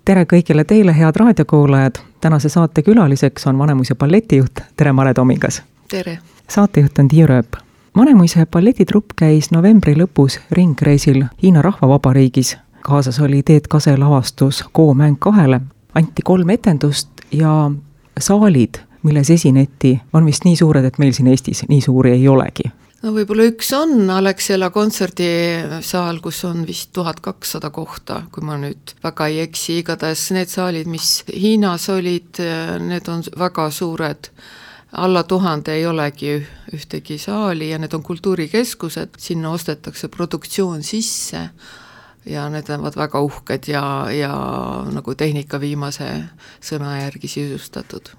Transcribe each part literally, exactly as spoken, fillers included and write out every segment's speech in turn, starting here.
tere kõigile teile, head raadiokuulajad. Tänase saate külaliseks on Vanemuise balletijuht. Tere, Mare Tomingas. Tere. Saatejuht on Tiia Rööp. Vanemuise balletitrupp käis novembri lõpus ringreisil Hiina Rahvavabariigis. Kaasas oli Teet Kase lavastus Koo mäng kahele. Anti kolm etendust ja saalid, milles esineti, on vist nii suured, et meil siin Eestis nii suuri ei olegi. No võib-olla üks on Alexela kontserdisaal, kus on vist tuhat kakssada kohta, kui ma nüüd väga ei eksi. Igatahes need saalid, mis Hiinas olid, need on väga suured. Alla tuhande ei olegi ühtegi saali ja need on kultuurikeskused. Sinna ostetakse produktsioon sisse ja need on väga uhked ja, ja nagu tehnika viimase sõna järgi sisustatud.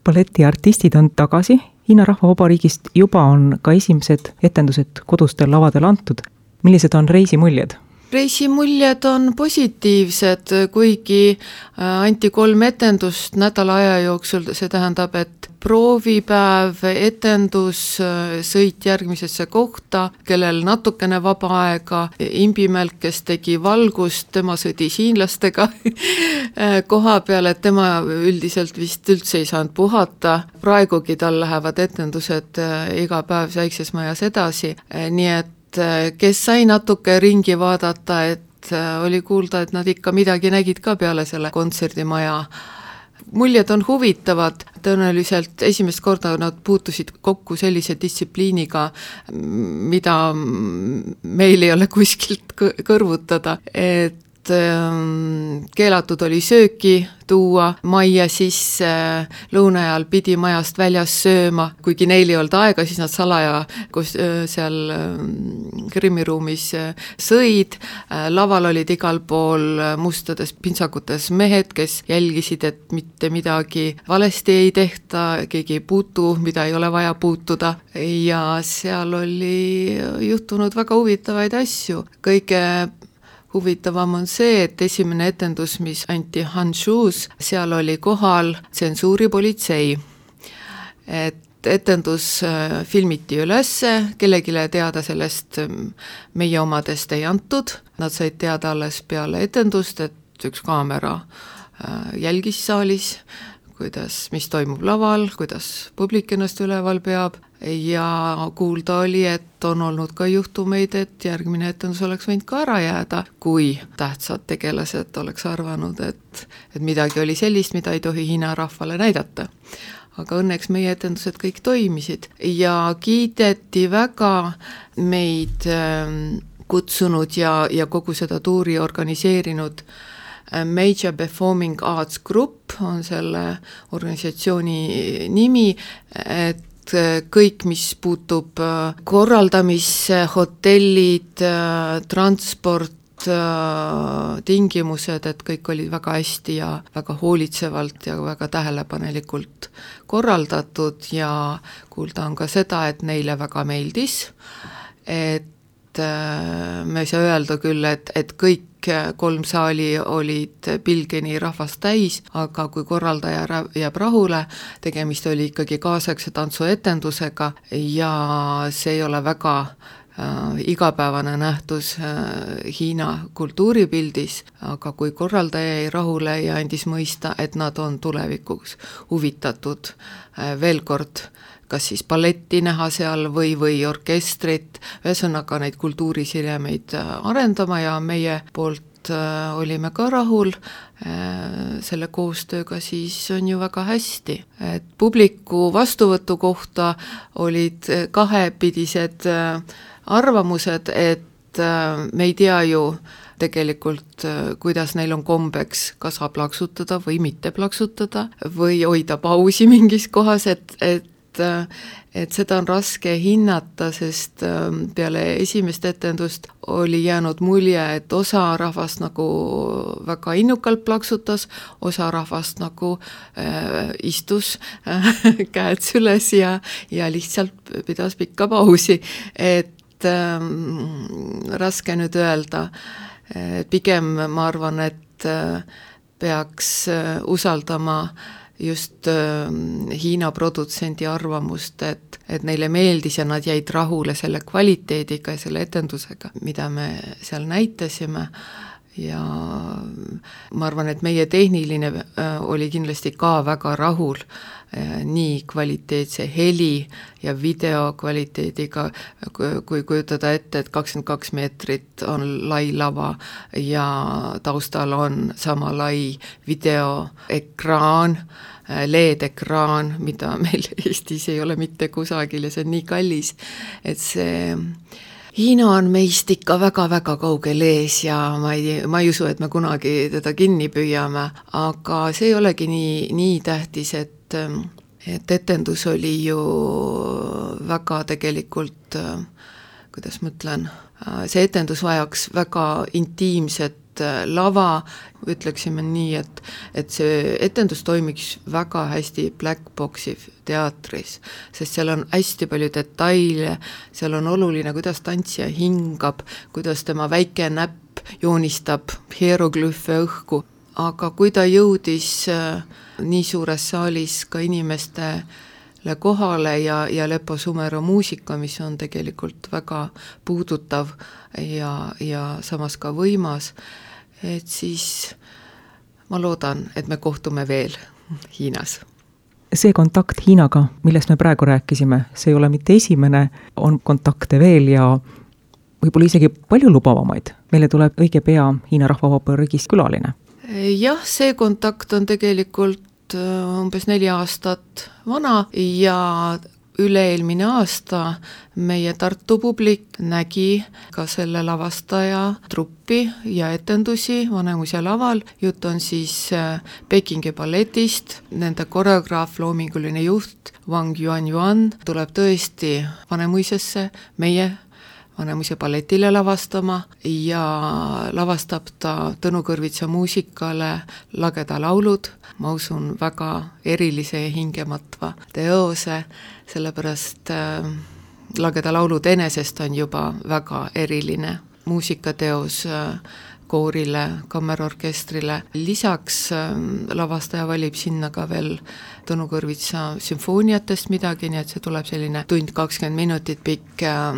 Balletiartistid on tagasi. Hiina Rahvavabariigist juba on ka esimesed etendused kodustel lavadel antud. Millised on reisimuljed? Reisimuljed on positiivsed, kuigi anti kolm etendust nädala aja jooksul. See tähendab, et proovipäev, etendus, sõit järgmisesse kohta, kellel natukene vaba aega, Imbimelk, kes tegi valgust, tema sõdis hiinlastega koha peal, et tema üldiselt vist üldse ei saanud puhata. Praegugi tal lähevad etendused iga päev Väikses Majas edasi, nii et kes sai natuke ringi vaadata, et oli kuulda, et nad ikka midagi nägid ka peale selle kontserdimaja. Muljed on huvitavad, tõenäoliselt esimest korda nad puutusid kokku sellise distsipliiniga, mida meil ei ole kuskilt kõrvutada, et keelatud oli sööki tuua majja sisse, lõuna ajal pidi majast väljas sööma, kuigi neil ei olnud aega, siis nad salaja kus seal grimmiruumis sõid. Laval olid igal pool mustades pintsakutes mehed, kes jälgisid, et mitte midagi valesti ei tehta, keegi ei puutu, mida ei ole vaja puutuda ja seal oli juhtunud väga huvitavaid asju. Kõige huvitavam on see, et esimene etendus, mis anti Hanshus, seal oli kohal tsensuuripolitsei. Et etendus filmiti ülesse, kellegile teada sellest meie omadest ei antud. Nad said teada alles peale etendust, et üks kaamera jälgis saalis, kuidas, mis toimub laval, kuidas publik ennast üleval peab. Ja kuulda oli, et on olnud ka juhtumeid, et järgmine etendus oleks võinud ka ära jääda, kui tähtsad tegelased oleks arvanud, et, et midagi oli sellist, mida ei tohi Hiina rahvale näidata. Aga õnneks meie etendused kõik toimisid ja kiideti väga meid kutsunud ja, ja kogu seda tuuri organiseerinud Major Performing Arts Group on selle organisatsiooni nimi, et kõik, mis puutub korraldamisse, hotellid, transport, tingimused, et kõik olid väga hästi ja väga hoolitsevalt ja väga tähelepanelikult korraldatud ja kuulda on ka seda, et neile väga meeldis, et me ei saa öelda küll, et, et kõik kolm saali olid pilgeni rahvast täis, aga kui korraldaja jääb rahule, tegemist oli ikkagi kaasaegse tantsuetendusega ja see ei ole väga äh, igapäevane nähtus äh, Hiina kultuuripildis, aga kui korraldaja jäi rahule ja andis mõista, et nad on tulevikuks huvitatud äh, veel kord kas siis balletti näha seal või, või orkestrit, ühesõnaga neid kultuurisidemeid arendama ja meie poolt olime ka rahul selle koostööga, siis on ju väga hästi. Et publiku vastuvõtu kohta olid kahepidised arvamused, et me ei tea ju tegelikult, kuidas neil on kombeks, kas saab plaksutada või mitte plaksutada või hoida pausi mingis kohas, et, et et seda on raske hinnata, sest peale esimest etendust oli jäänud mulje, et osa rahvast nagu väga innukalt plaksutas, osa rahvast nagu äh, istus äh, käed süles ja, ja lihtsalt pidas pikka pausi, et äh, raske nüüd öelda. Pigem ma arvan, et äh, peaks äh, usaldama just äh, Hiina produtsendi arvamust, et, et neile meeldis ja nad jäid rahule selle kvaliteediga ja selle etendusega, mida me seal näitasime ja ma arvan, et meie tehniline oli kindlasti ka väga rahul nii kvaliteetse heli ja video kvaliteediga, kui kujutada ette, et kakskümmend kaks meetrit on lai lava ja taustal on sama lai videoekraan, L E D-ekraan, mida meil Eestis ei ole mitte kusagil ja see on nii kallis, et see Hiina on meist ikka väga-väga kaugel ees ja ma ei, ma ei usu, et me kunagi teda kinni püüame, aga see ei olegi nii, nii tähtis, et, et etendus oli ju väga tegelikult, kuidas ma ütlen, see etendus vajaks väga intiimset lava, ütleksime nii, et, et see etendus toimiks väga hästi Black Boxi teatris, sest seal on hästi palju detaile, seal on oluline, kuidas tantsija hingab, kuidas tema väike näpp joonistab hieroglüüfe õhku, aga kui ta jõudis nii suures saalis ka inimestele kohale ja, ja Lepo Sumero muusika, mis on tegelikult väga puudutav ja, ja samas ka võimas, et siis ma loodan, et me kohtume veel Hiinas. See kontakt Hiinaga, millest me praegu rääkisime, see ei ole mitte esimene, on kontakte veel ja võib-olla isegi palju lubavamaid. Meile tuleb õige pea Hiina Rahvavabariigist külaline. Jah, see kontakt on tegelikult umbes neli aastat vana ja üle-eelmine aasta meie Tartu publik nägi ka selle lavastaja truppi ja etendusi Vanemuise laval. Jutt on siis Pekingi balletist, nende koreograaf, loominguline juht Wang Yuan-Yuan tuleb tõesti Vanemuisesse meie Vanemuise balletile lavastama ja lavastab ta Tõnu Kõrvitsa muusikale Lageda laulud, ma usun väga erilise ja hingematva teose, sellepärast äh, Lageda laulud enesest on juba väga eriline muusikateos äh, koorile, kammerorkestrile. Lisaks äh, lavastaja valib sinna ka veel Tõnu Kõrvitsa sümfooniatest midagi, nii et see tuleb selline tund kakskümmend minutit pikk äh,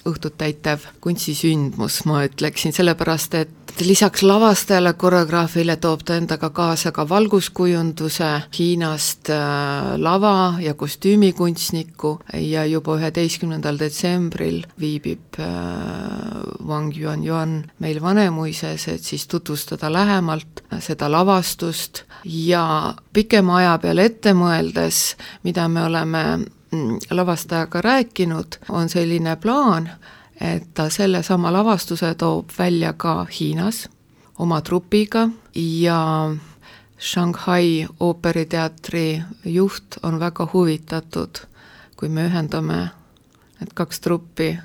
õhtut täitev kunstisündmus, ma ütleksin, sellepärast, et lisaks lavastajale, koreograafile toob ta endaga kaasa ka valguskujunduse Hiinast äh, lava- ja kostüümikunstniku ja juba üheteistkümnendal detsembril viibib äh, Wang Yuan-Yuan meil Vanemuises, et siis tutvustada lähemalt seda lavastust ja pikema aja peale ette mõeldes, mida me oleme lavastajaga rääkinud, on selline plaan, et ta selle sama lavastuse toob välja ka Hiinas oma trupiga ja Shanghai ooperiteatri juht on väga huvitatud, kui me ühendame need kaks truppi,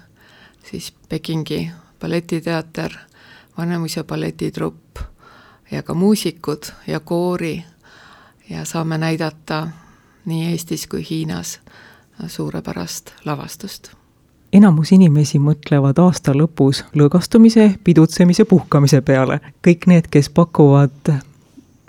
siis Pekingi balletiteater, Vanemuise balletitrupp ja ka muusikud ja koori ja saame näidata nii Eestis kui Hiinas suurepärast lavastust. Enamus inimesi mõtlevad aasta lõpus lõõgastumise, pidutsemise, puhkamise peale. Kõik need, kes pakuvad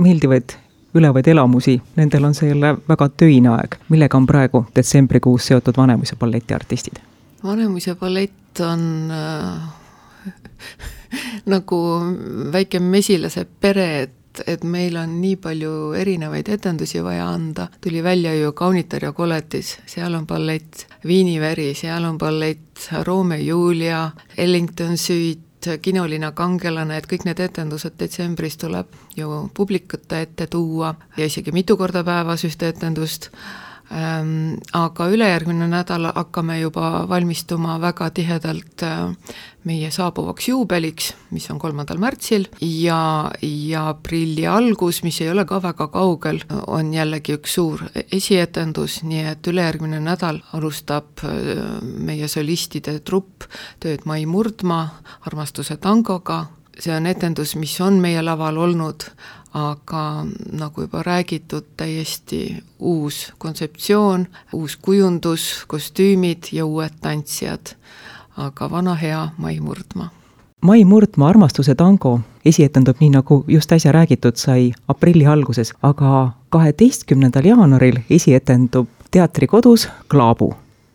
meeldivaid ülevaid elamusi, nendel on selle väga töine aeg. Millega on praegu detsembrikuus seotud Vanemuise balletiartistid? Vanemuise ballett on äh, nagu väike mesilase pere, et et meil on nii palju erinevaid etendusi vaja anda. Tuli välja ju Kaunitar ja koletis, seal on ballett, Viiniveri, seal on ballett, Romeo ja Julia, Ellington Suite, Kinolina kangelane, et kõik need etendused detsembris tuleb ju publikute ette tuua ja isegi mitu korda päevas ühte etendust. Ähm, aga ülejärgmine nädal hakkame juba valmistuma väga tihedalt äh, meie saabuvaks juubeliks, mis on kolmandal märtsil ja, ja aprilli algus, mis ei ole ka väga kaugel, on jällegi üks suur esietendus, nii et ülejärgmine nädal alustab äh, meie solistide trupp tööd Mai Murdma Armastuse tangoga. See on etendus, mis on meie laval olnud, aga nagu juba räägitud, täiesti uus kontseptsioon, uus kujundus, kostüümid ja uued tantsijad, aga vana hea Mai Murdma. Mai Murdma Armastuse tango esietendub nii, nagu just äsja räägitud sai aprilli alguses, aga kaheteistkümnendal jaanuaril esietendub teatrikodus Klaabu.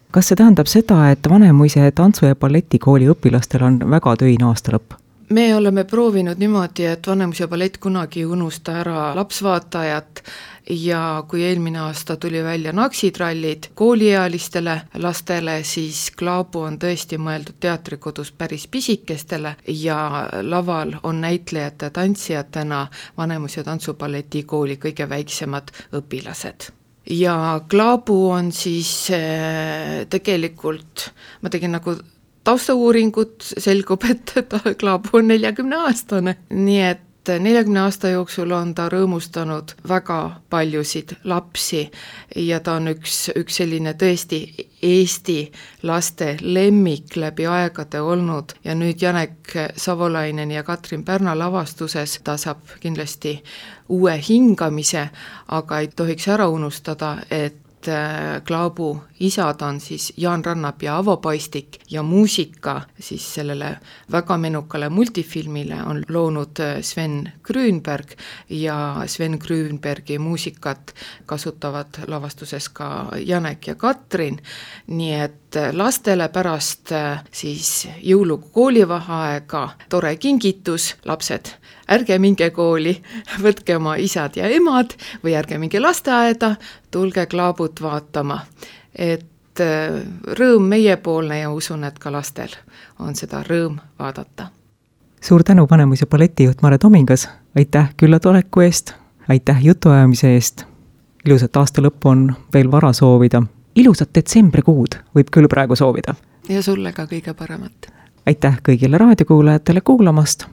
Kas see tähendab seda, et Vanemuise tantsu- ja balletikooli õpilastel on väga töine aasta lõpp? me oleme proovinud niimoodi, et Vanemuise ballett kunagi ei unusta ära lapsvaatajat ja kui eelmine aasta tuli välja naksitrallid kooliealistele lastele, siis Klaabu on tõesti mõeldud teatrikodus päris pisikestele ja laval on näitlejate ja tantsijatena Vanemuise tantsuballetikooli kõige väiksemad õpilased. Ja Klaabu on siis tegelikult, ma tegin nagu taustauuringut, selgub, et ta Klaabu on neljakümne aastane, nii et neljakümne aasta jooksul on ta rõõmustanud väga paljusid lapsi ja ta on üks, üks selline tõesti Eesti laste lemmik läbi aegade olnud ja nüüd Janek Savolainen ja Katrin Pärna lavastuses ta saab kindlasti uue hingamise, aga ei tohiks ära unustada, et Klaabu isad on siis Jaan Rannap ja Avo Paistik ja muusika siis sellele väga menukale multifilmile on loonud Sven Grünberg ja Sven Grünbergi muusikat kasutavad lavastuses ka Janek ja Katrin, nii et lastele pärast siis jõulukoolivaheaega tore kingitus, lapsed, ärge minge kooli, võtke oma isad ja emad või ärge minge lasteaeda, tulge Klaabut vaatama, et rõõm meiepoolne ja usun, et ka lastel on seda rõõm vaadata. Suur tänu Vanemuise balletijuht Mare Tomingas, aitäh küllatoleku eest, aitäh jutuajamise eest, ilusat aasta lõppu on veel vara soovida, ilusat detsembrikuud võib küll praegu soovida. Ja sulle ka kõige paremat. Aitäh kõigile raadiokuulajatele kuulamast,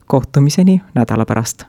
kohtumiseni nädala pärast.